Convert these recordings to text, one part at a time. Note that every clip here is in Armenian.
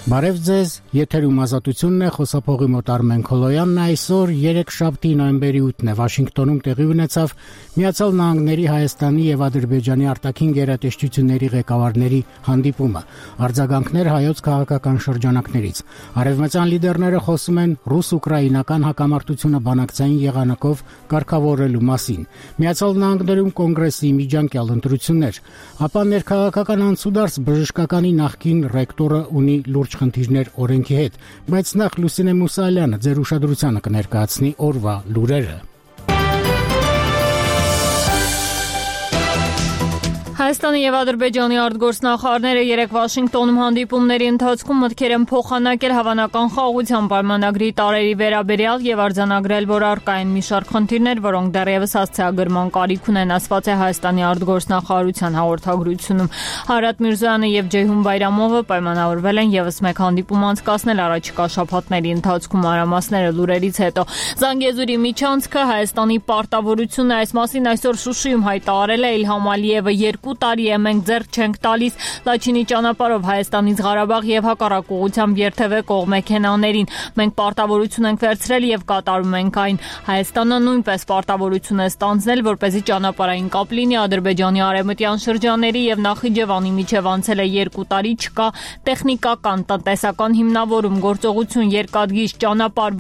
Բարև ձեզ, եթերում ազատությունն է, խոսափողի մոտ Արմեն Քոլոյանն այսօր 3 նոյեմբերի 8-ն է Վաշինգտոնում տեղի ունեցավ Միացյալ Նահանգների Հայաստանի եւ Ադրբեջանի արտաքին գերատեսչությունների ղեկավարների հանդիպումը, արձագանքներ հայոց քաղաքական շրջանակներից։ Արևմտյան լիդերները խոսում են ռուս-ուկրաինական հակամարտությունը բանակցային եղանակով կարգավորելու մասին։ Միացյալ Նահանգներում կոնգրեսի միջանկյալ ընտրություններ, ապա ներքաղաքական անցուդարձ բժշկականի նախկին ռեկտորը ունի լուրջ խնդիրներ օրենքի հետ, բայց նախ Լուսինե Մուսալյանը ձեր ուշադրությանը կներկայացնի օրվա լուրերը։ Հայաստանի եւ Ադրբեջանի արտգործնախարարները երեկ Վաշինգտոնում հանդիպումների ընթացքում մտքեր են փոխանակել հավանական խաղաղության պայմանագրի տարերի վերաբերյալ եւ արձանագրել, որ առկա են մի շարք խնդիրներ, որոնք դեռևս հասցեագրման կարիք ունեն, ասված է Հայաստանի արտգործնախարարության հաղորդագրությունում։ Հարատ Միրզոյանը եւ Ջեյհուն Բայրամովը պայմանավորվել են եւս մեկ հանդիպում անցկացնել առաջիկա շաբաթների ընթացքում, մանրամասները լուրերից հետո։ Զանգեզուրի միջանցքը Հայաստանի պարտավորությունն է, այս մասին այսօր Շուշիում հայտարարել է Իլհամ Ալիևը 2 տարի է մենք ձեռք չենք տալիս Լաչինի ճանապարհով Հայաստանից Ղարաբաղ եւ հակառակ ուղղությամբ երթևեկող մեքենաներին։ Մենք պարտավորություն ենք վերցրել եւ կատարում ենք այն։ Հայաստանը նույնպես պարտավորություն է ստանձնել, որպեսզի ճանապարհային կապ լինի Ադրբեջանի արևմտյան շրջանների եւ Նախիջևանի միջև անցել է 2 տարի, չկա տեխնիկական, տնտեսական հիմնավորում, գործողություն, երկաթգիծ ճանապարհ,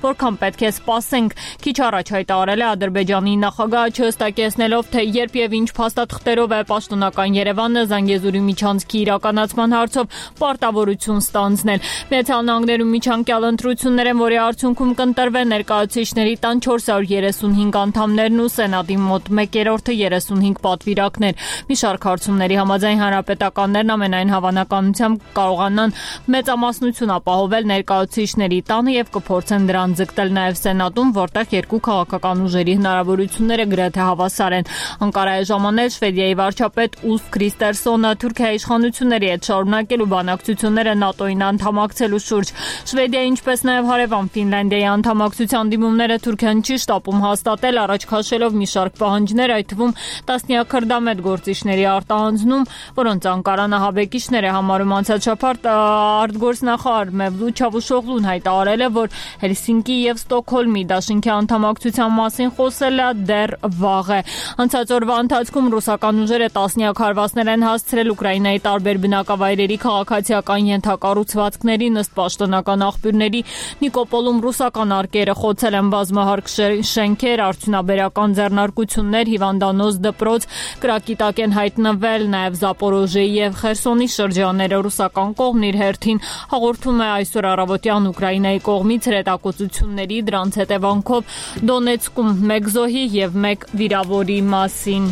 որքան պետք է սպասենք։ Քիչ առաջ հայտարարել է Ադրբեջանի նախագահը, չհստակեցնելով, թե երբ եւ ինչ փաստաթղթերով է պաշտոնական Երևանը Զանգեզուրի միջանցքի իրականացման հարցով պարտավորություն ստանձնել։ Միացյալ Նահանգներում միջանկյալ ընտրություններ են, որի արդյունքում կընտրվեն ներկայացուցիչների տան 435 անդամներն ու Սենատի մոտ 1/3-ը 35 պատվիրակներ։ Մի շարք հարցումների համաձայն հանրապետականներն ամենայն հավանականությամբ կարողանան մեծամասնություն ապահովել ներկայացուցիչների տանը եւ կփորձեն դրան ձգտել նաեւ Սենատում, որտեղ երկու քաղաքական ուժերի հնարավորությունները գրեթե հավասար են։ Անկարայի ժամանակ Շվեդիայի վարչապետ Ուլֆ Քրիստերսոնը Թուրքիայի իշխանությունների հետ շարունակելու բանակցությունները ՆԱՏՕ-ին անդամակցելու շուրջ։ Շվեդիայի, ինչպես նաև հարևան Ֆինլանդիայի անդամակցության դիմումները Թուրքիան չի շտապում հաստատել, առաջ քաշելով մի շարք պահանջներ, այդ թվում տասնյակ քրդամետ գործիչների արտահանձնում, որոնց Անկարան ահաբեկիչներ է համարում։ Անցած շաբաթ արտգործնախարար Մևլութ Չավուշօղլուն հայտարարել է, որ Հելսինկի եւ Ստոկհոլմի դաշինքի անդամակցության մասին խոսելը դեռ վաղ է։ Անցած օրվա ընթացքում ռուսական ուժերը տասնյակ հարվածներ են հասցրել Ուկրաինայի տարբեր բնակավայրերի քաղաքացիական ենթակառուցվածքներին, ըստ պաշտոնական աղբյուրների Նիկոպոլում ռուսական արկերը խոցել են բազմահարկ շենքեր, արդյունաբերական ձեռնարկություններ, հիվանդանոց դպրոց, կրակի տակ են հայտնվել նաև Զապորոժեի եւ Խերսոնի շրջանները։ Ռուսական կողմն իր հերթին հաղորդում է այսօր առավոտյան Ուկրաինայի կողմից հրետակոծությունների, դրանց հետևանքով Դոնեցկում 1 զոհի եւ 1 վիրավորի մասին։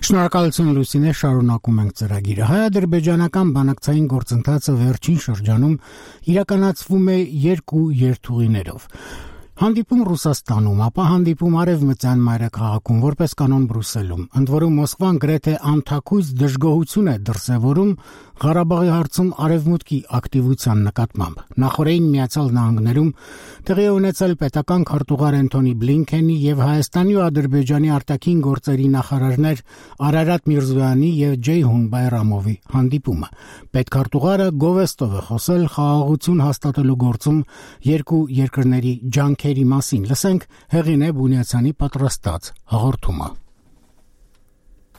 Շնորհակալություն Լուսինե, շարունակում ենք ծրագիրը։ Հայ-ադրբեջանական բանակցային գործընթացը վերջին շրջանում իրականացվում է 2 երթուղիներով։ Հանդիպում Ռուսաստանում, ապա հանդիպում Արևմտյան մայրաքաղաքում, որպես կանոն Բրյուսելում։ Ընդ որում Մոսկվան գրեթե անթաքույց դժգոհություն է դրսևորում Ղարաբաղի հարցում Արևմուտքի ակտիվության նկատմամբ։ Նախորդին Միացյալ Նահանգներում տեղի է ունեցել պետական քարտուղար Անթոնի Բլինքենի եւ Հայաստանի ու Ադրբեջանի արտաքին գործերի նախարարներ Արարատ Միրզոյանի եւ Ջեյհուն Բայրամովի հանդիպումը։ Պետքարտուղարը գովեստով է խոսել խաղաղություն հաստատելու գործում երկու երկրների ջանքերի մասին։ Լսենք Հեղինե Բունյացյանի պատրաստած հաղորդումը։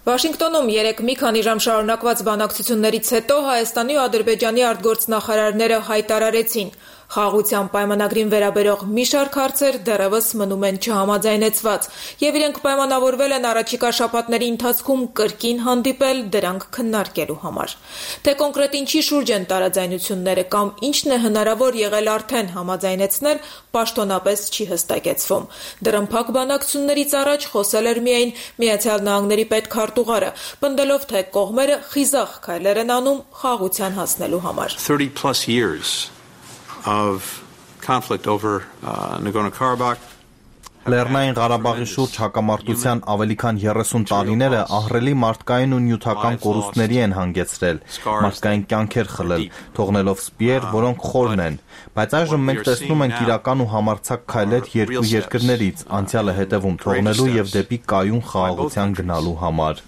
Վաշինգտոնում երեկ մի քանի ժամ շարունակված բանակցություններից հետո Հայաստանի ու Ադրբեջանի արտգործնախարարները հայտարարեցին, խաղաղության պայմանագրին վերաբերող մի շարք հարցեր դեռևս մնում են չհամաձայնեցված, եւ իրենք պայմանավորվել են առաջիկա շաբաթների ընթացքում կրկին հանդիպել դրանք քննարկելու համար։ Թե կոնկրետ ինչի շուրջ են տարաձայնությունները կամ ինչն է հնարավոր եղել արդեն համաձայնեցնել, պաշտոնապես չի հստակեցվում։ Դրամփակ բանակցություններից առաջ խոսել էր միայն Միացյալ Նահանգների պետքարտուղարը, պնդելով, թե կողմերը խիզախ քայլեր են անում խաղաղության հասնելու համար։ 30+ years of conflict over Nagorno-Karabakh Լեռնային Ղարաբաղի շուրջ հակամարտության ավելի քան 30 տարիները ահռելի մարդկային ու նյութական կորուստների են հանգեցրել, մարդկային կյանքեր խլել, թողնելով սպիեր, որոնք խորն են, բայց այժմ մենք տեսնում ենք իրական ու համարձակ քայլեր երկու երկրներից, անցյալը հետևում թողնելու եւ դեպի կայուն խաղաղության գնալու համար։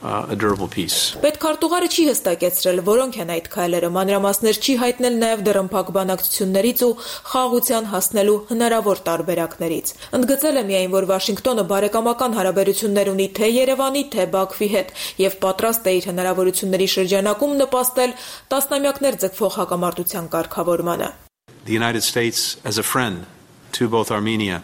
Պետքարտուղարը չի հստակեցրել, որոնք են այդ քայլերը, մանրամասներ չի հայտնել նաև դռնփակ բանակցություններից ու խաղաղության հասնելու հնարավոր տարբերակներից։ Ընդգծել է միայն, որ Վաշինգտոնը բարեկամական հարաբերություններ ունի թե Երևանի, թե Բաքվի հետ եւ պատրաստ է իր հնարավորությունների շրջանակում նպաստել տասնամյակներ ձգվող հակամարտության կարգավորմանը։ The United States as a friend to both Armenia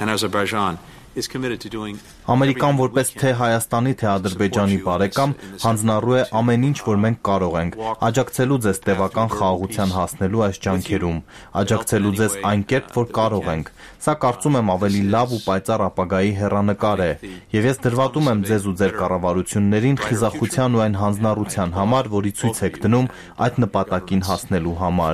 and Azerbaijan is committed to doing Ամերիկան որպես թե Հայաստանի, թե Ադրբեջանի բարեկամ հանձնառու է ամեն ինչ, որ մենք կարող ենք, աջակցելու ձեզ տևական խաղաղության հասնելու այս ջանքերում, աջակցելու ձեզ այն կերպ, որ կարող ենք։ Սա կարծում եմ ավելի լավ ու պայծառ ապագայի հեռանկար է, եւ ես դրվատում եմ ձեզ ու ձեր կառավարություններին խիզախության ու այն հանձնառության համար, որի ցույց եք դնում այդ նպատակին հասնելու համար։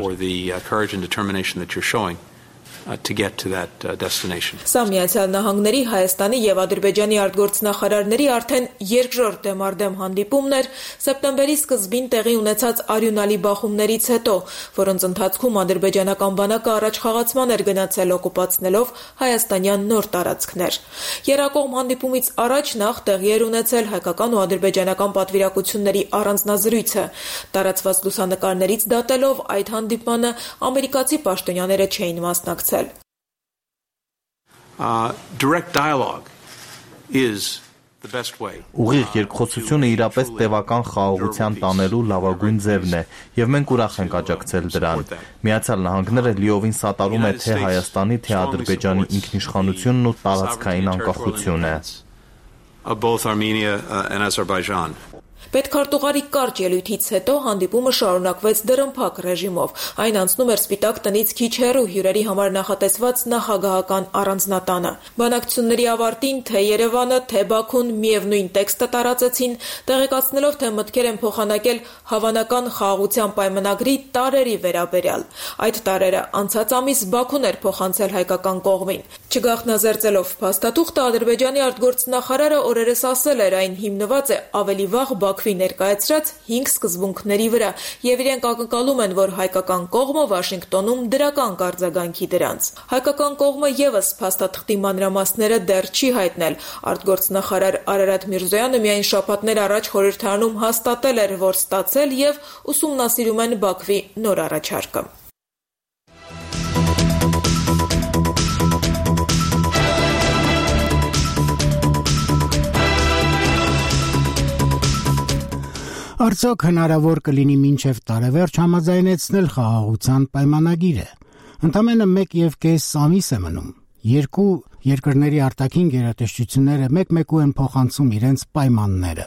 To get to that destination. Սա Միացյալ Նահանգների, Հայաստանի եւ Ադրբեջանի արտգործնախարարների արդեն երկրորդ դեմարդեմ հանդիպումն էր սեպտեմբերի սկզբին տեղի ունեցած արյունալի բախումներից հետո, որոնց ընթացքում ադրբեջանական բանակը առաջխաղացման էր գնացել օկուպացնելով հայաստանյան նոր տարածքներ։ Երակողմ հանդիպումից առաջ նախ տեղի էր ունեցել հայկական ու ադրբեջանական պատվիրակությունների առանձնազրույցը։ Տարածված լուսանկարներից դատելով այդ հանդիպմանը ամերիկացի պաշտոնյաները չէին մասնակցել։ Direct dialogue is the best way. Ուղիղ երկխոսությունը իրապես տևական խաղաղության տանելու լավագույն ձևն է, եւ մենք ուրախ ենք աջակցել դրան։ Միացյալ Նահանգները լիովին սատարում է թե Հայաստանի, թե Ադրբեջանի ինքնիշխանությունն ու տարածքային անկախությունը։ Both Armenia and Azerbaijan. Պետքարտուղարի կարճ ելույթից հետո հանդիպումը շարունակվեց դռնփակ ռեժիմով։ Այն անցնում էր Սպիտակ տնից քիչ հեռու հյուրերի համար նախատեսված նախագահական առանձնատանը։ Բանակցությունների ավարտին թե Երևանը, թե Բաքուն միևնույն տեքստը տարածեցին, տեղեկացնելով, թե մտքեր են փոխանակել հավանական խաղաղության պայմանագրի տարերի վերաբերյալ։ Այդ տարերը անցած ամիս Բաքուն էր փոխանցել հայկական կողմին։ Չգաղտնազերծելով փաստաթուղթը, Ադրբեջանի արտգործնախարարը օրերս ասել էր, այն հիմնված է ավելի վաղ Բաքվի ներկայացրած 5 սկզբունքների վրա, եւ իրենք ակնկալում են, որ հայկական կողմը Վաշինգտոնում դրական կարձագանքի դրանց։ Հայկական կողմը եւս փաստաթղթի մանրամասները դեռ չի հայտնել։ Արտգործնախարար Արարատ Միրզոյանը միայն շաբաթներ առաջ խորհրդարանում հաստատել էր, որ ստացել եւ ուսումնասիրում են Բաքվի նոր առաջարկը։ Արդյոք հնարավոր կլինի մինչև տարեվերջ համաձայնեցնել խաղաղության պայմանագիրը։ Ընդամենը 1.5 ամիս է մնում։ Երկու երկրների արտաքին գերատեսչությունները մեկ-մեկու են փոխանցում իրենց պայմանները։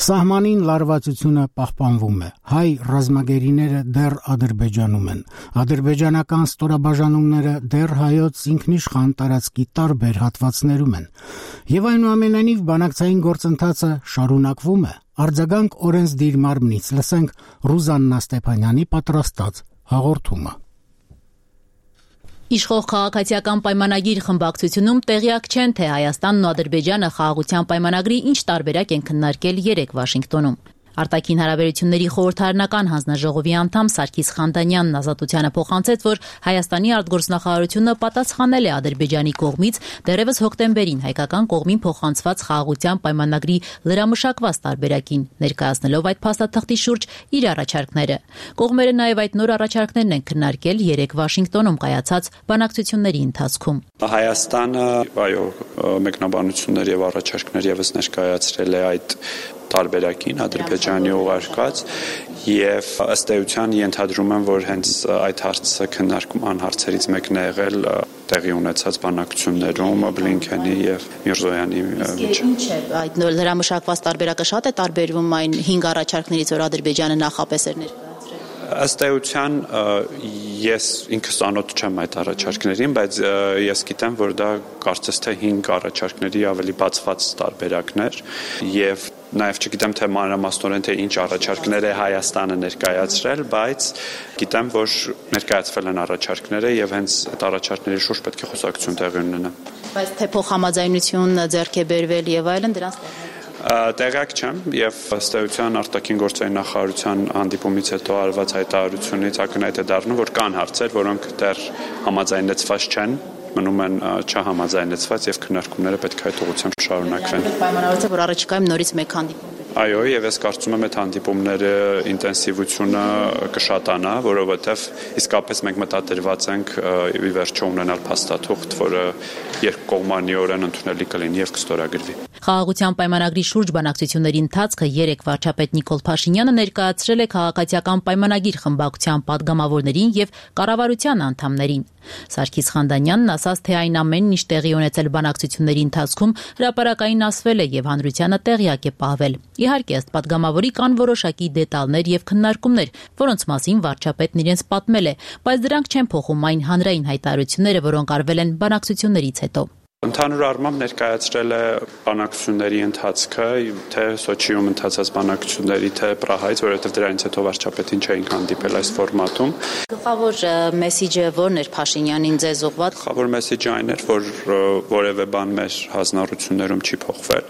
Սահմանին լարվածությունը պահպանվում է։ Հայ ռազմագերիները դեռ Ադրբեջանում են։ Ադրբեջանական ստորաբաժանումները դեռ հայոց ինքնիշխան տարածքի տարբեր հատվածներում են։ Եվ այնուամենայնիվ բանակցային գործընթացը շարունակվում է։ Արձագանք օրենսդիր մարմնից լսենք Ռուզաննա Ստեփանյանի պատրաստած հաղորդումը։ Իշխող քաղաքացիական պայմանագիր խմբակցությունում տեղյակ չեն, թե Հայաստանն ու Ադրբեջանը խաղաղության պայմանագրի ինչ տարբերակ են քննարկել երեկ Վաշինգտոնում։ Արտաքին հարաբերությունների խորհրդարանական հանձնաժողովի անդամ Սարգիս Խանդանյանն Ազատությանը փոխանցեց, որ Հայաստանի արտգործնախարարությունը պատասխանել է Ադրբեջանի կողմից դեռևս հոկտեմբերին հայկական կողմին փոխանցված խաղաղության պայմանագրի լրամշակված տարբերակին, ներկայացնելով այդ փաստաթղթի շուրջ իր առաջարկները։ Կողմերը նաև այդ նոր առաջարկներն են քննարկել երեկ Վաշինգտոնում կայացած բանակցությունների ընթացքում։ Հայաստանը, մեկնաբանություններ եւ առաջարկներ եւս ներկայացրել է այդ տարբերակին Ադրբեջանի ուղարկած եւ ըստ էության ենթադրում եմ, որ հենց այդ հարցը քննարկման հարցերից մեկն է եղել տեղի ունեցած բանակցություններում Բլինքենի եւ Միրզոյանի միջեւ։ Ինչ է այդ լրամշակված տարբերակը շատ է տարբերվում այն 5 առաջարկներից, որ Ադրբեջանը նախապես էր ներկայացրել։ Ըստ էության ես ինքս անոթ չեմ այդ առաջարկներին, բայց ես գիտեմ, որ դա կարծես թե 5 առաջարկների ավելի բացված տարբերակներ եւ Նաև չգիտեմ թե մանրամասնորեն թե ինչ առաջարկներ է Հայաստանը ներկայացրել, բայց գիտեմ, որ ներկայացվել են առաջարկները եւ հենց այդ առաջարկների շուրջ պետք է խոսակցություն տեղի ունենա։ Բայց թե փոխհամաձայնություն ձեռք է բերվել եւ այլն դրանց տեղյակ չեմ եւ ըստ էության արտաքին գործերի նախարարության հանդիպումից հետո արված հայտարարությունից ակնհայտ է դառնում, որ կան հարցեր, որոնք դեռ համաձայնեցված չեն, մնում են չհամաձայնեցված եւ քննարկումները պետք է այդ ուղղությամբ շարունակվեն։ Պայմանավորված է, որ առաջիկայում նորից մեկ հանդիպում։ Այո, եւ ես կարծում եմ այդ հանդիպումները ինտենսիվությունը կշատանա, որովհետեւ իսկապես մենք մտադրված ենք ի վերջո ունենալ փաստաթուղթ, որը երկկողմանիորեն ընդունելի կլինի եւ կստորագրվի։ Խաղաղության պայմանագրի շուրջ բանակցությունների ընթացքը երեկ վարչապետ Նիկոլ Փաշինյանը ներկայացրել է քաղաքացիական պայմանագիր խմբակցության падգամավորներին եւ կառավարության անդամներին։ Սարգիս Խանդանյանն ասաց, թե այն ամենն ինչ տեղի ունեցել բանակցությունների ընթացքում հրապարակային ասվել է եւ հանրությանը տեղյակ է պահվել։ Իհարկե, ըստ падգամավորի կան որոշակի դետալներ եւ քննարկումներ, որոնց մասին վարչապետն իրենց պատմել է, բայց դրանք չեն փոխում այն հանրային հայտարարությունները, որոնք արվել են բանակցություններից հետո։ Ընդհանուր առմամբ ներկայացրել է բանակցությունների ընթացքը, թե Սոչիում ընթացած բանակցությունների, թե Պրահայից, որովհետև դրանից հետո վարչապետին չէին հանդիպել այս ֆորմատում։ Գլխավոր մեսիջը ո՞րն էր Փաշինյանին ձեզ ուղղված։ Գլխավոր մեսիջը այն էր, որ որևէ բան մեր հանձնառություններում չի փոխվել։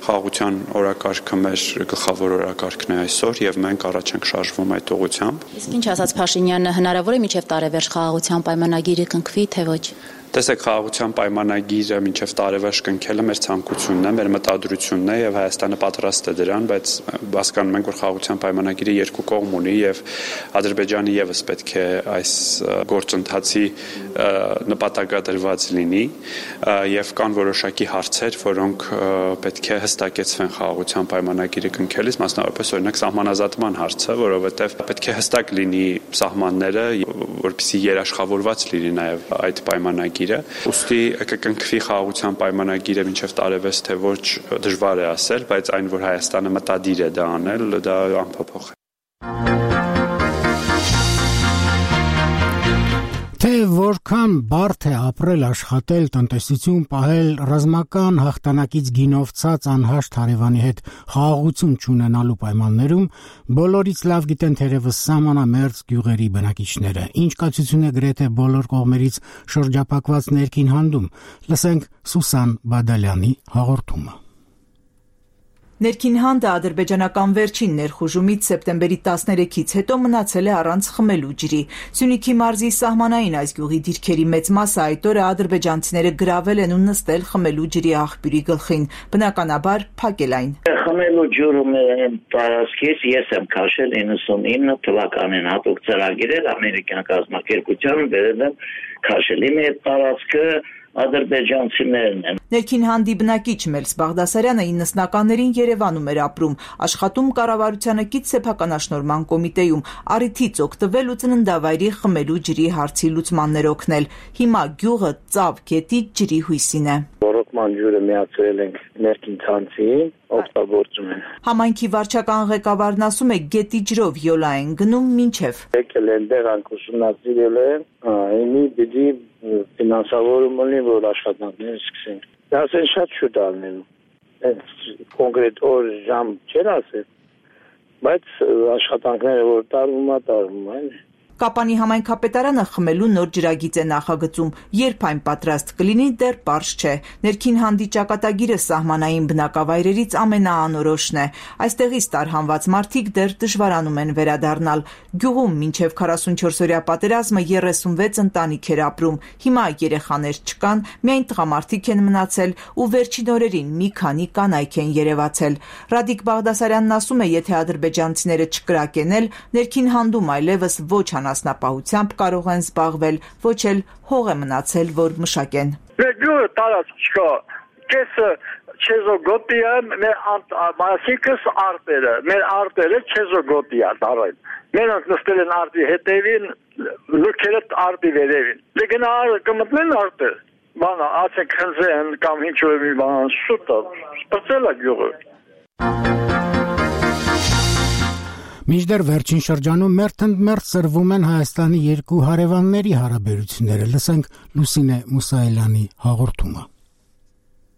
Խաղաղության օրակարգը մեր գլխավոր օրակարգն է այսօր եւ մենք առաջ ենք շարժվում այդ ուղղությամբ։ Իսկ ինչ ասաց Փաշինյանը, հնարավոր է մինչև տարեվերջ խաղաղության պայմանագիրը կնքվի, թե ոչ։ Տեսեք, խաղաղության պայմանագիրը մինչև տարեվերջ կնքելը մեր ցանկությունն է, մեր մտադրությունն է եւ Հայաստանը պատրաստ է դրան, բայց հասկանում ենք, որ խաղաղության պայմանագիրը երկու կողմ ունի եւ Ադրբեջանը եւս պետք է այս գործընթացի նպատակադրված լինի եւ կան որոշակի հարցեր, որոնք պետք է հստակեցվեն խաղաղության պայմանագիրը կնքելիս, մասնավորապես օրինակ սահմանազատման հարցը, որովհետեւ պետք է հստակ լինի սահմանները, որպեսզի երաշխավորված լինի նաեւ այդ պայմանագիրը։ Ուստի կկնքվի խաղաղության պայմանագիրը մինչև տարեվերջ թե ոչ դժվար է ասել, բայց այն, որ Հայաստանը մտադիր է դա անել, դա անփոփոխ է։ Թե որքան բարդ է ապրել, աշխատել, տնտեսություն պահել, ռազմական հաղթանակից գինով ցած անհաշտ հարևանի հետ խաղաղություն չունենալու պայմաններում, բոլորից լավ գիտեն թերևս սահմանամերձ գյուղերի բնակիչները, ինչ կացություն է գրեթե բոլոր կողմերից շրջափակված ներքին հանդում։ Լսենք Սուսան Բադալյանի հաղորդումը։ Ներքին հանդը ադրբեջանական վերջին ներխուժումից սեպտեմբերի 13-ից հետո մնացել է առանց խմելու ջրի։ Սյունիքի մարզի սահմանային այս գյուղի դիրքերի մեծ մասը այդ օրը ադրբեջանցիները գրավել են ու նստել խմելու ջրի աղբյուրի գլխին, բնականաբար փակել այն։ Խմելու ջուրը տարածքից ես եմ քաշել 99 թվականին հատուկ ծրագիրել ամերիկյան կազմակերպությանը վերել եմ քաշել։ Իմ այդ տարածքը ադրբեջանցիներն են։ Ներքին հանդի բնակիչ Մելս Բաղդասարյանը 90-ականներին Երևանում էր ապրում, աշխատում կառավարությանը կից սեփականաշնորհման կոմիտեում, առիթից օգտվել ու ծննդավայրի խմելու ջրի հարցի լուծմաններ օգնել։ Հիմա գյուղը ծավ գետի ջրի հույսին է։ Ռոկման ջուրը միացրել ենք ներքին ցանցին, օգտագործում են։ Համայնքի վարչական ղեկավարն ասում է գետի ջրով յոլա են գնում մինչև։ Եկել են դեղանք ուսումնասիրել են, այնի պիտի ֆինանսավորում ունի, որ աշխատանքները սկսեն։ Դա ասեն շատ շուտ ալնելու։ Կոնկրետ օր ժամ չեն ասել, բայց աշխատանքները որ տարվում են։ Կապանի համայնքապետարանը խմելու նոր ջրագիծ է նախագծում, երբ այն պատրաստ կլինի դեռ պարզ չէ։ Ներքին հանդի ճակատագիրը սահմանային բնակավայրերից ամենաանորոշն է։ Այստեղից տարհանված մարդիկ դեռ դժվարանում են վերադառնալ։ Գյուղում մինչև 44-օրյա պատերազմը 36 ընտանիք էր ապրում։ Հիմա երեխաներ չկան, միայն տղամարդիկ են մնացել ու վերջին օրերին մի քանի կանայք են երևացել։ Ռադիկ Բաղդասարյանն ասում է, եթե ադրբեջանցիները չկրակեն, ներքին հանդում այլևս ոչ անասնապահությամբ կարող են զբաղվել, ոչ էլ հող է մնացել, որ մշակեն։ Մեր գյուղը տարածք չկա, կեսը չեզոգոտի է, մասիկս արտերը, մեր արտերը չեզոգոտի է դարային։ Մենակ նստել են արտի հետևին, լուքերը արտի վերևին։ Լեգնա կմտնեն արտը, բանա, ասեք հնձեն կամ ինչ-որ մի բան, շուտը, սպրծել է գյուղը։ Մինչդեռ վերջին շրջանում մերթ սրվում են Հայաստանի երկու հարևանների հարաբերությունները։ Լսենք Լուսինե Մուսայելյանի հաղորդումը։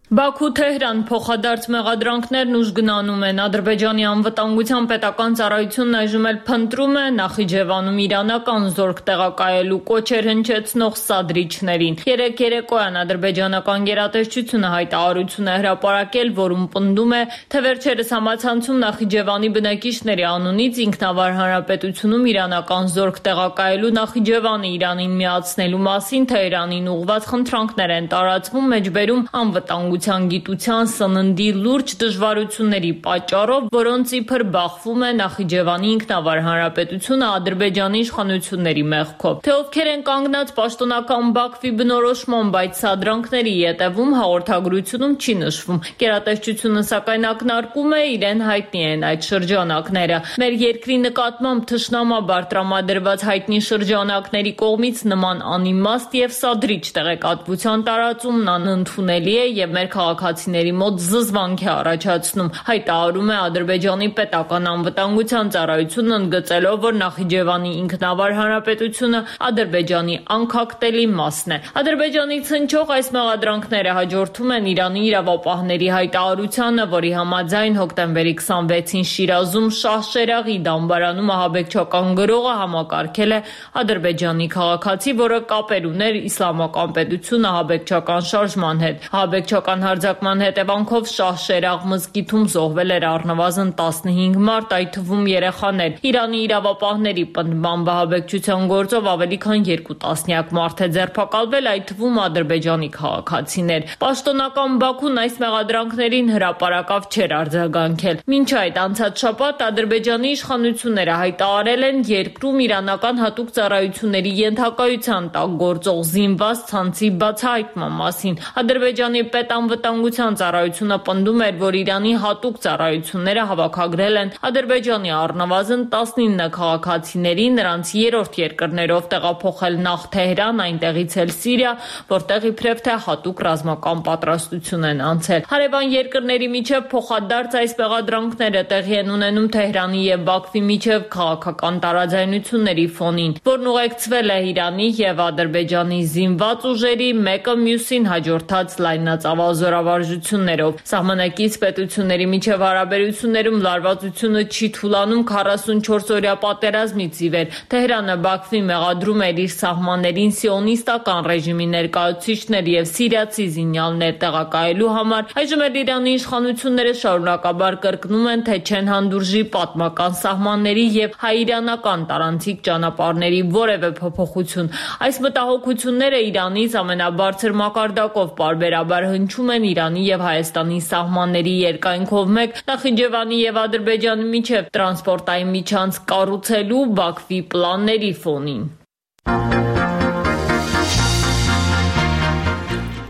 Բաքու-Թեհրան փոխադարձ մեղադրանքներն ուժգնանում են։ Ադրբեջանի անվտանգության պետական ծառայությունն այժմ էլ փնտրում է Նախիջևանում իրանական զորք տեղակայելու կոչեր հնչեցնող սադրիչներին։ Երեկ երեկոյան ադրբեջանական գերատեսչությունը հայտարարություն է հրապարակել, որում պնդում է, թե վերջերս համացանցում Նախիջևանի բնակիչների անունից ինքնավար հանրապետությունում իրանական զորք տեղակայելու Նախիջևանը Իրանին միացնելու մասին Թեհրանին ուղղված խնդրանքներ են տարածվում մեջբերում անվտանգության գիտության սննդի լուրջ դժվարությունների պատճառով, որոնց իբր բախվում է Նախիջևանի ինքնավար հանրապետությունը Ադրբեջանի իշխանությունների մեղքով։ Թե ովքեր են կանգնած պաշտոնական Բաքվի բնորոշման, բայց սադրանքների ետևում հաղորդագրությունում չի նշվում։ Գերատեսչությունը սակայն ակնարկում է, իրեն հայտնի են այդ շրջանակները։ Մեր երկրի նկատմամբ թշնամաբար տրամադրված հայտնի շրջանակների կողմից նման անիմաստ եւ սադրիչ տեղեկատվության տարածումն անընդունելի է եւ մեր քաղաքացիների մոտ զզվանք է առաջացնում, հայտարարում է Ադրբեջանի պետական անվտանգության ծառայությունը, ընդգծելով, որ Նախիջևանի ինքնավար հանրապետությունը Ադրբեջանի անկախտելի մասն է։ Ադրբեջանից հնչող այս մեղադրանքները հաջորդում են Իրանի իրավապահների հայտարարությանը, որի համաձայն հոկտեմբերի 26-ին Շիրազում Շահշերաղի դամբարանում ահաբեկչական գրողը համակարգել է ադրբեջանի քաղաքացի, որը կապեր ուներ իսլամական պետություն ահաբեկչական շարժման հետ։ Ահաբեկչական հարձակման հետևանքով Շահշերաղ մզկիթում զոհվել էր առնվազն 15 մարդ, այդ թվում երեխաներ։ Իրանի իրավապահների պնդմամբ ահաբեկչության գործով ավելի քան 2 տասնյակ մարդ է ձերբակալվել, այդ թվում ադրբեջանի քաղաքացիներ։ Պաշտոնական Բաքուն այս մեղադրանքներին հրապարակավ չէր արձագանքել։ Մինչ այդ անցած շաբաթ Ադրբեջանի իշխանությունները հայտարարել են երկրում իրանական հատուկ ծառայությունների ենթակայության տակ գործող զինված ցանցի բացահայտման մասին։ Ադրբեջանի պետանվտանգության ծառայությունը պնդում էր, որ Իրանի հատուկ ծառայությունները հավաքագրել են Ադրբեջանի առնվազն 19 քաղաքացիների, նրանց երրորդ երկրներով տեղափոխել նախ Թեհրան, այնտեղից էլ Սիրիա, որտեղ իբրև թե հատուկ ռազմական պատրաստություն են անցել։ Հարևան երկրների միջև փոխադարձ այս մեղադրանքները տեղի են ունենում Թեհրանի եւ Բաքվի միջև քաղաքական տարաձայնությունների ֆոնին, որն ուղեկցվել է Իրանի եւ Ադրբեջանի զինված ուժերի մեկը մյուսին հաջորդած լայնածավալ զորավարժություններով։ Սահմանակից պետությունների միջև հարաբերություններում լարվածությունը չի թուլանում 44-օրյա պատերազմից ի վեր։ Թեհրանը Բաքվի մեղադրում էր իր սահմաններին սիոնիստական ռեժիմի ներկայացուցիչներ եւ սիրիացի զինյալներ տեղակայելու համար։ Այժմ էլ Իրանի իշխանությունները շարունակաբար կրկնում են, թե չեն հանդուրժի պատմական սահմանների եւ հայ-իրանական տարանցիկ ճանապարհների որևէ փոփոխություն։ Այս մտահոգությունները Իրանից ամենաբարձր մակարդակով պարբերաբար հնչում են Իրանի եւ Հայաստանի սահմանների երկայնքով մեկ Նախիջևանի եւ Ադրբեջանի միջև տրանսպորտային միջանց կառուցելու Բաքվի պլանների ֆոնին։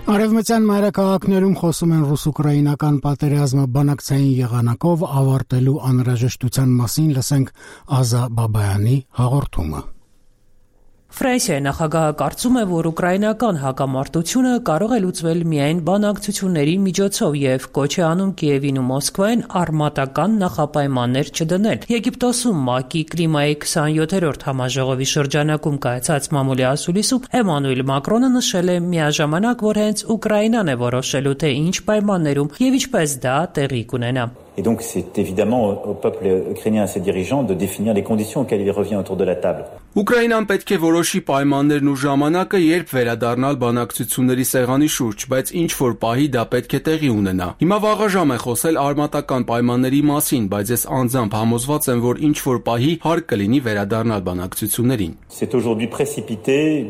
Արևմտյան մայրաքաղաքներում խոսում են ռուս-ուկրաինական պատերազմը բանակցային եղանակով ավարտելու անհրաժեշտության մասին, լսենք Ազա Բաբայանի հաղորդումը։ Ֆրանսիայի նախագահը կարծում է, որ ուկրաինական հակամարտությունը կարող է լուծվել միայն բանակցությունների միջոցով եւ կոչ է անում Կիևին ու Մոսկվային արմատական նախապայմաններ չդնել։ Եգիպտոսում ՄԱԿ-ի կլիմայի 27-րդ համաժողովի շրջանակում կայացած մամուլի ասուլիսում Էմանուել Մակրոնը նշել է միաժամանակ, որ հենց Ուկրաինան է որոշելու, թե ինչ պայմաններում եւ ինչպես դա տեղի կունենա։ Et donc c'est évidemment au peuple ukrainien et à ses dirigeants de définir les conditions auxquelles il revient autour de la table. Ուկրաինան պետք է որոշի պայմաններն ու ժամանակը, երբ վերադառնալ բանակցությունների սեղանի շուրջ, բայց ինչ որ պահի դա պետք է տեղի ունենա։ Հիմա վաղաժամ է խոսել արմատական պայմանների մասին, բայց ես անձամբ համոզված եմ, որ ինչ որ պահի հարկ կլինի վերադառնալ բանակցություններին։ C'est aujourd'hui précipité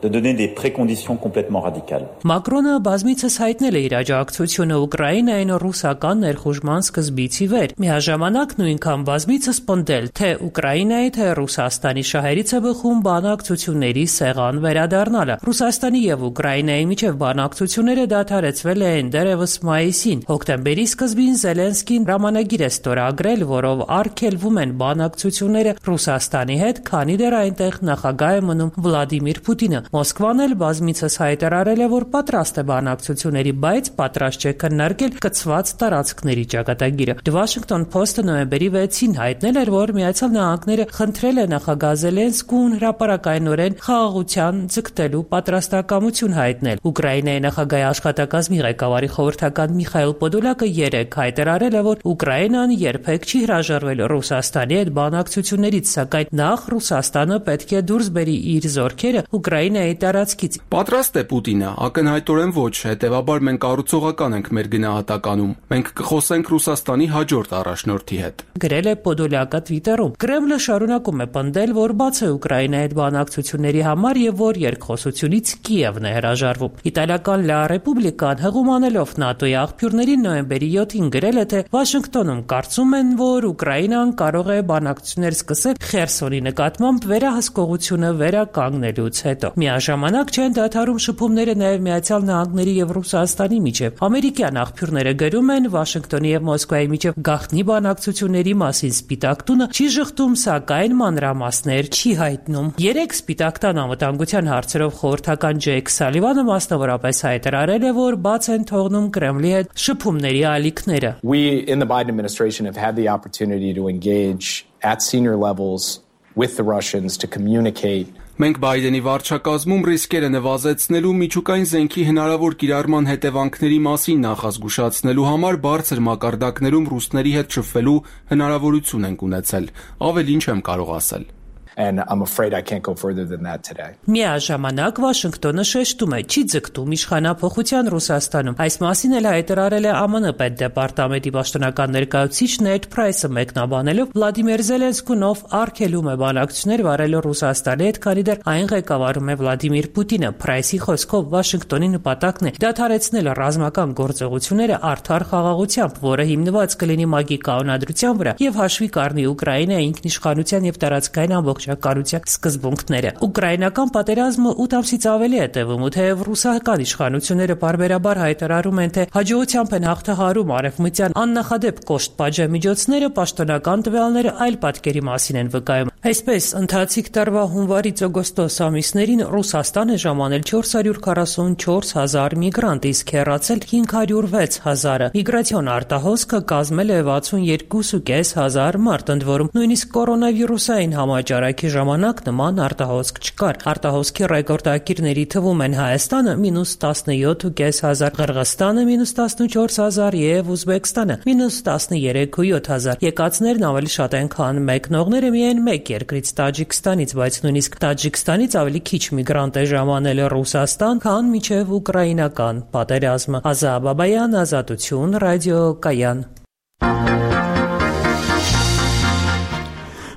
de donner des préconditions complètement radicales. Մակրոնը բազմիցս հայտնել է իր աջակցությունը Ուկրաինային ռուսական ներխուժման սկզբից ի վեր։ Միաժամանակ նույնքան բազմիցս պնդել, թե Ուկրաինայի, թե Ռուսաստանի շահերից է բխում բանակցությունների սեղան վերադառնալը։ Ռուսաստանի եւ Ուկրաինայի միջև բանակցությունները դադարեցվել են դեռևս մայիսին։ Հոկտեմբերի սկզբին Զելենսկին հրամանագիր է ստորագրել, որով արգելվում են բանակցությունները Ռուսաստանի հետ, քանի դեռ այնտեղ նախագահ է մնում Վլադիմիր Պուտինը։ Մոսկվան էլ բազմիցս հայտարարել է, որ պատրաստ է բանակցությունների, բայց պատրաստ չէ քննարկել կցված տարածքների ճակատագիրը։ Washington Post-ը նոյեմբերի 6-ին հայտնել էր, որ Միացյալ Նահանգները խնդրել է նախագահ Զելենսկուն հրապարակայնորեն խաղաղության ձգտելու պատրաստակամություն հայտնել։ Ուկրաինայի նախագահի աշխատակազմի ղեկավարի խորհրդական Միխայիլ Պոդոլյակը երեկ հայտարարել է, որ Ուկրաինան երբեք չի հրաժարվել Ռուսաստանի հետ բանակցություններից, սակայն նախ Ռուսաստանը պետք է դուրս բերի իր զորքերը Ուկրաինայի տարածքից։ Պատրաստ է Պուտինը, ակնհայտորեն ոչ, հետևաբար մենք կառուցողական ենք մեր գնահատականում։ Մենք կխոսենք Ռուսաստանի հաջորդ առաջնորդի հետ։ Գրել է Պոդոլյակը Twitter-ում։ Կրեմլը շարունակում է պնդել, որ բաց է Ուկրաինայի հետ բանակցությունների համար եւ որ երկխոսությունից Կիևն է հրաժարվում։ Իտալիական La Repubblica-ն հղումանելով ՆԱՏՕ-ի աղբյուրներին նոյեմբերի 7-ին գրել է, թե Վաշինգտոնում կարծում են, որ Ուկրաինան կարող է բանակցություններ սկսել Խերսոնի նկատմամբ վերահսկողությունը վերականգնելուց հետո։ Միաժամանակ չեն դադարում շփումները նաև Միացյալ Նահանգների եւ Ռուսաստանի միջև։ Ամերիկյան աղբյուրները գրում են, Վաշինգտոնի եւ Մոսկվայի միջև գաղտնի բանակցությունների մասին Սպիտակ տունը չի շղթում, սակայն մանրամասներ չի հայտնում։ Երեք Սպիտակ տան անվտանգության հարցերով խորհրդական Ջեյք Սալիվանը մասնավորապես հայտարարել է, որ բաց են թողնում Կրեմլի հետ շփումների ալիքները։ We in the Biden administration have had the opportunity to engage at senior levels with the Russians to communicate. Մենք Բայդենի վարչակազմում ռիսկերը նվազեցնելու, միջուկային զենքի հնարավոր կիրառման հետևանքների մասին նախազգուշացնելու համար բարձր մակարդակներում ռուսների հետ շփվելու հնարավորություն ենք ունեցել։ Ավելի ինչ եմ կարող ասել։ And I'm afraid I can't go further than that today. Միաժամանակ Վաշինգտոնը շեշտում է, չի ձգտում իշխանափոխության Ռուսաստանում։ Այս մասին էլ հայտարարել է ԱՄՆ պետդեպարտամենտի պաշտոնական ներկայացուցիչ Նեդ Փրայսը մեկնաբանելով Վլադիմիր Զելենսկուն, ով արգելում է բանակցություններ վարելու Ռուսաստանի հետ, քանի դեռ այն ղեկավարում է Վլադիմիր Պուտինը։ Փրայսի խոսքով Վաշինգտոնի նպատակն է դադարեցնել ռազմական գործողությունները արդար խաղաղությամբ, որը հիմնված կլինի ՄԱԳ-ի կանոնադրության վրա եւ հաշվի կառնի Ուկրաինայի ինքնիշխանության եւ տարածքային ամբողջականության սկզբունքները։ Ուկրաինական պատերազմը 8 ամսից ավելի է տևում, ու թեև ռուսական իշխանությունները բարբերաբար հայտարարում են, թե հաջողությամբ են հաղթահարում արևմտյան աննախադեպ կոշտ պատժամիջոցները, պաշտոնական տվյալները այլ պատկերի մասին են վկայում։ Այսպես, ընթացիկ տարվա հունվարից ամիսներին Ռուսաստանը ժամանել 444 հազար միգրանտ, իսկ հեռացել 506 հազարը։ Միգրացիոն արտահոսքը կազմել է 62.5 հազար մարդ, ընդ որում նույնիսկ կորոնավիրուսային համաճարակի ժամանակ նման արտահոսք չկար։ Արտահոսքի ռեկորդակիրների թվում են Հայաստանը -17.5 հազար, Qırğızstանը -14 հազար եւ Ուզբեկստանը -13.7 հազար։ Եկածներն ավելի շատ են, քան մեկնողները միայն մեկ երկրից Տաջիկստանից, բայց նույնիսկ Տաջիկստանից ավելի քիչ միգրանտ է ժամանել Ռուսաստան, քան մինչև ուկրաինական պատերազմը։ Ազա Բաբայան, Ազատություն, ռադիո Կայան։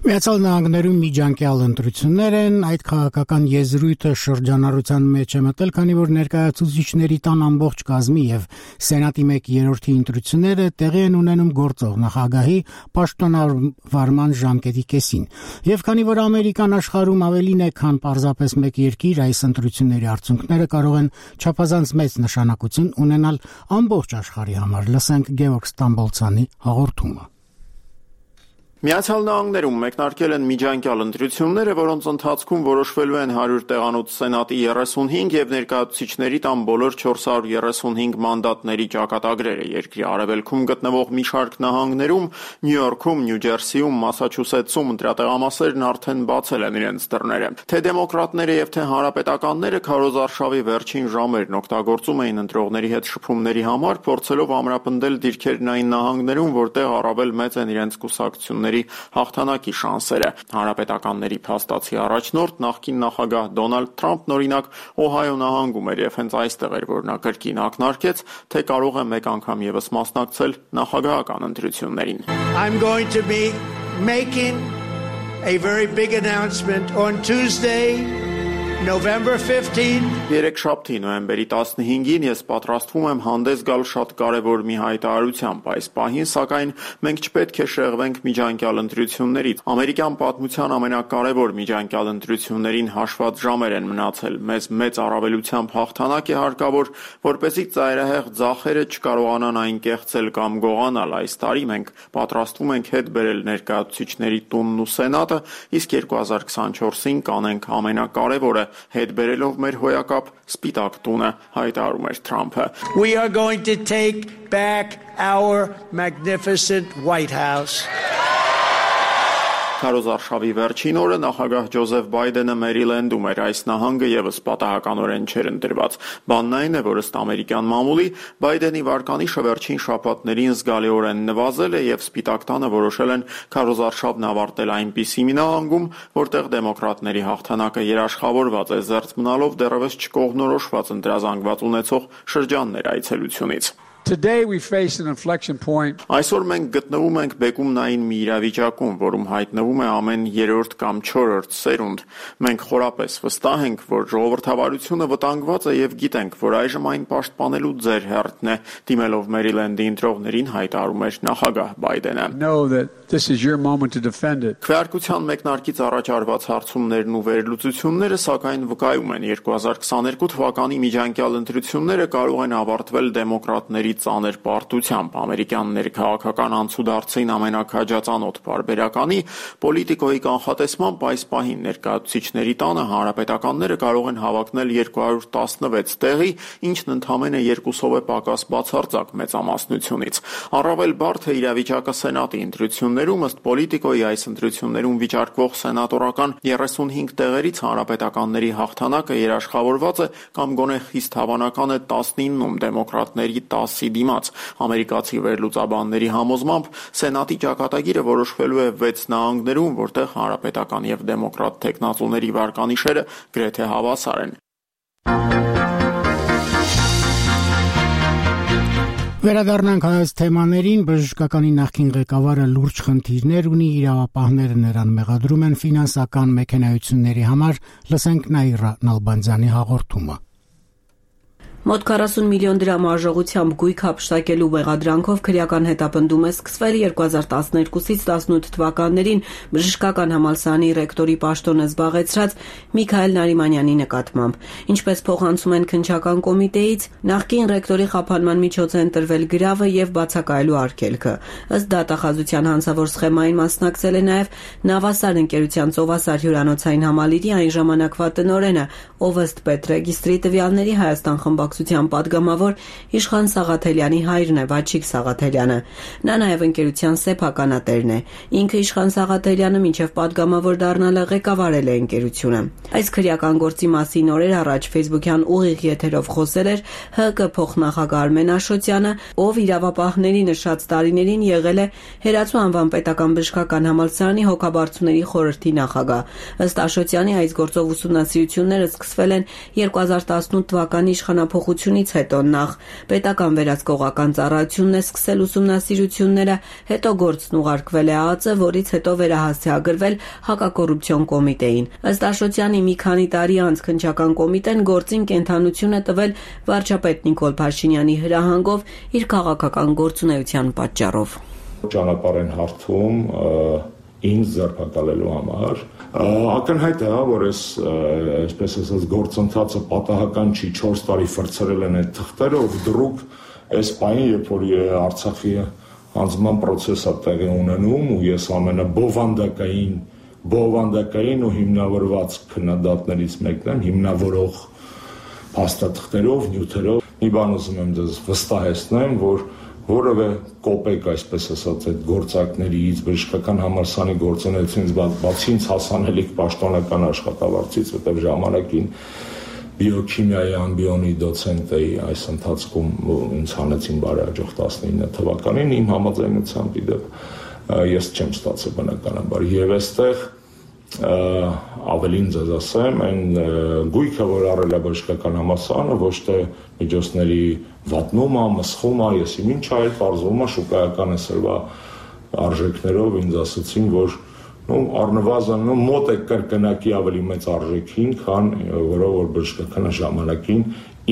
Միացյալ Նահանգներում միջանկյալ ընտրություններ են, այդ քաղաքական եզրույթը շրջանառության մեջ է մտել, քանի որ ներկայացուցիչների տան ամբողջ կազմի եւ Սենատի 1/3 ընտրությունները տեղի են ունենում գործող նախագահի պաշտոնավարման ժամկետի կեսին։ Եվ քանի որ Ամերիկան աշխարհում ավելին է, քան պարզապես մեկ երկիր, այս ընտրությունների արդյունքները կարող են չափազանց մեծ նշանակություն ունենալ ամբողջ աշխարհի համար։ Լսենք Գևորգ Ստամբոլցյանի հաղորդումը։ Միացյալ Նահանգներում մեկնարկել են միջանկյալ ընտրությունները, որոնց ընթացքում որոշվելու են 100 տեղանոց Սենատի 35 եւ ներկայացուցիչների տան բոլոր 435 մանդատների ճակատագրերը։ Երկրի արևելքում գտնվող մի շարք նահանգներում՝ Նյու Յորքում, Նյու Ջերսիում, Մասաչուսեթսում ընտրատեղամասերն արդեն բացել են իրենց դռները։ Թե դեմոկրատները եւ թե հանրապետականները քարոզարշավի վերջին ժամերն օգտագործում էին ընտրողների հետ շփումների համար, փորձելով ամրապնդել դիրքերն այն նահանգներում, որտեղ առավել մեծ են իրենց կուսակցությունների հաղթանակի շանսերը։ Հանրապետականների փաստացի առաջնորդ նախկին նախագահ Դոնալդ Թրամփն օրինակ Օհայո նահանգում էր եւ հենց այստեղ էր, որ նա կրկին ակնարկեց, թե կարող է մեկ անգամ եւս մասնակցել նախագահական ընտրություններին։ I'm going to be making a very big announcement on Tuesday, November 15. Երեքշաբթի նոյեմբերի 15-ին ես պատրաստվում եմ հանդես գալ շատ կարևոր մի հայտարարությամբ։ Այս պահին, սակայն, մենք չպետք է շեղվենք միջանկյալ ընտրություններից։ Ամերիկյան պատմության ամենակարևոր միջանկյալ ընտրություններին հաշված ժամեր են մնացել։ Մեզ մեծ առավելությամբ հաղթանակ է հարկավոր, որպեսզի ծայրահեղ ձախերը չկարողանան այն կեղծել կամ գողանալ։ Այս տարի մենք պատրաստվում ենք հետ բերել ներկայացուցիչների տունն ու Սենատը, իսկ 2024-ին կանենք ամենակարևորը՝ հետ բերելով մեր հոյակապ Սպիտակ տունը, հայտարարում էր Թրամփը։ We are going to take back our magnificent White House. Քարոզարշավի վերջին օրը նախագահ Ջոզեֆ Բայդենը Մերիլենդում էր, այս նահանգը եւս պատահականորեն չէր ընտրված։ Բանն այն է, որ ըստ ամերիկյան մամուլի Բայդենի վարկանիշը վերջին շաբաթներին զգալիորեն նվազել է եւ Սպիտակ տանը որոշել են քարոզարշավն ավարտել այնպիսի մի նահանգում, որտեղ դեմոկրատների հաղթանակը երաշխավորված է, զերծ մնալով դեռևս չկողմնորոշված ընտրազանգված ունեցող շրջաններ այցելությունից։ Today we face an inflection point. Այսօր մենք գտնվում ենք բեկումնային մի իրավիճակում, որում հայտնվում է ամեն 3-րդ կամ 4-րդ սերունդ։ Մենք խորապես վստահ ենք, որ ժողովրդավարությունը վտանգված է եւ գիտենք, որ այժմ այն պաշտպանելու ձեր հերթն է, դիմելով Մերիլենդի ընտրողներին հայտարարում էր նախագահ Բայդենը։ Know that this is your moment to defend it. Քվեարկության մեկնարկից առաջ արված հարցումներն ու վերլուծությունները սակայն վկայում են 2022 թվականի միջանկյալ ընտրությունները կարող են ավարտվել դեմոկրատների ծանր պարտությամբ ամերիկյան ներքաղաքական անցուդարձին ամենակաջածանոթ բարբերականի պոլիտիկոյի կանխատեսմամբ այս պահին ներկայացուցիչների տանը հանրապետականները կարող են հավակնել 216 տեղի, ինչն ընդամենը 2-ով է պակաս բացարձակ մեծամասնությունից։ Առավել բարդ է իրավիճակը սենատի ընտրություններում, ըստ պոլիտիկոյի այս ընտրություններում վիճարկվող սենատորական 35 տեղերից հանրապետականների հաղթանակը երաշխավորված է կամ գոնե խիստ հավանական է 19-ում դեմոկրատների 10 դիմաց։ Ամերիկացի վերլուծաբանների համոզմամբ սենատի ճակատագիրը որոշվելու է 6 նահանգներում, որտեղ հանրապետական եւ դեմոկրատ թեկնածուների վարկանիշերը գրեթե հավասար են։ Վերադառնանք այս թեմաներին, բժշկականի նախկին ղեկավարը լուրջ խնդիրներ ունի, իրավապահները նրան մեղադրում են ֆինանսական մեքենայությունների համար, լսենք Նաիրա Նալբանդյանի հաղորդումը։ Մոտ 40 միլիոն դրամ արժողությամբ գույք հափշտակելու մեղադրանքով քրեական հետապնդում է սկսվել 2012-ից 18 թվականներին բժշկական համալսարանի ռեկտորի պաշտոնը զբաղեցրած Միքայել Նարիմանյանի նկատմամբ։ Ինչպես փոխանցում են քննչական կոմիտեից, նախկին ռեկտորի խափանման միջոց է ընտրվել գրավը եւ բացակայելու արգելքը։ Ըստ դատախազության հանցավոր սխեմային մասնակցել է նաեւ Նավասար ընկերության Ծովասար հյուրանոցային համալիրի այն ժամանակվա տնօրենը, ով ըստ պետրեգիստրի տվյալների Հայաստան խմբակցության պատգամավոր Իշխան Սաղաթելյանի հայրն է, Վաչիկ Սաղաթելյանը։ Նա նաև ընկերության սեփականատերն է։ Ինքը Իշխան Սաղաթելյանը մինչև պատգամավոր դառնալը ղեկավարել է ընկերությունը։ Այս քրեական գործի մասին օրեր առաջ Facebook-յան ուղիղ եթերով խոսել էր ՀԿ փոխնախագահ Արմեն Աշոտյանը, ով իրավապահների նշած տարիներին եղել է Հերացու անվան պետական բժշկական համալսարանի հոգաբարձուների խորհրդի նախագահ։ Ըստ Աշոտյանի այս գործով ուսումնասիրությունները սկսվել են 2018 թվականի իշխանափոխությունից հետո նախ պետական վերահսկողական ծառայությունն է սկսել ուսումնասիրությունները, հետո գործն ուղարկվել է ԱԱԾ, որից հետո վերահասցեագրվել հակակոռուպցիոն կոմիտեին։ Ըստ Աշոտյանի մի քանի տարի անց քննչական կոմիտեն գործին կենթանություն է տվել վարչապետ Նիկոլ Փաշինյանի հրահանգով իր քաղաքական գործունեության պատճառով։ Ճանապարհ են հարթում ինձ ձերբակալելու համար ակնհայտ է, որ այսպես ասած գործընթացը պատահական չի, 4 տարի ֆրցրել են այդ թղթերը, ով դրուկ այս պահին, երբ որ Արցախի հանձնման process-ը տեղի ունենում ու ես ամենաբովանդակային ու հիմնավորված քննադատներից մեկն եմ, հիմնավորող փաստաթղթերով, նյութերով, մի բան ուզում եմ ձեզ վստահեցնեմ, որ որևէ կոպեկ, այսպես ասած, այդ գործակներից, բժշկական համալսարանի գործունեությունից բացի ինձ հասանելիք պաշտոնական աշխատավարձից, որտեղ ժամանակին բիոքիմիայի ամբիոնի դոցենտ էի այս ընթացքում ինձ հանեցին բարեհաջող 19 թվականին, իմ համաձայնությամբ իդեպ ես չեմ ստացել բնականաբար եւ այստեղ ավելին ձեզ ասեմ, այն գույքը, որ առել է բժշկական համալսարանը, ոչ թե միջոցների վատնումը, մսխումը, եսի ինչ այլ պարզվում է շուկայական էսրվա արժեքներով ինձ ասացին, որ առնվազն մոտ է կրկնակի ավելի մեծ արժեքին, քան որով որ բժշկական ժամանակին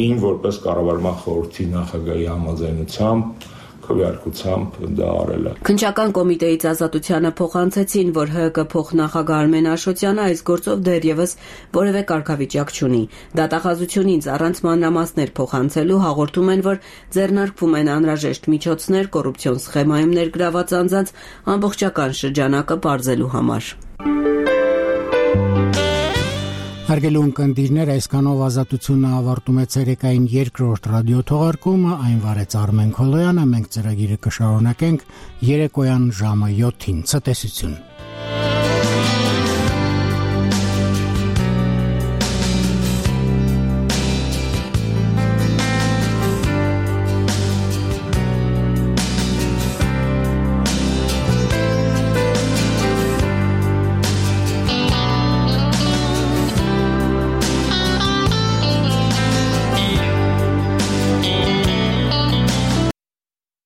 ին որպես կառավարման խորհրդի նախագահի համաձայնությամբ քվեարկությամբ դա արել է։ Քննչական կոմիտեից Ազատությանը փոխանցեցին, որ ՀԿ փոխնախագահ Արմեն Աշոտյանը այս գործով դեռևս որևէ կարգավիճակ չունի։ Դատախազությունից առանց մանրամասներ փոխանցելու հաղորդում են, որ ձեռնարկվում են անհրաժեշտ միջոցներ կոռուպցիոն սխեմայում ներգրաված անձանց ամբողջական շրջանակը պարզելու համար։ Հարգելի ունկնդիրներ, այսքանով Ազատությունը ավարտում է ցերեկային երկրորդ ռադիոթողարկումը, այն վարեց Արմեն Քոլոյանը, մենք ծրագիրը կշարունակենք երեկոյան ժամը 7-ին։ Ցտեսություն։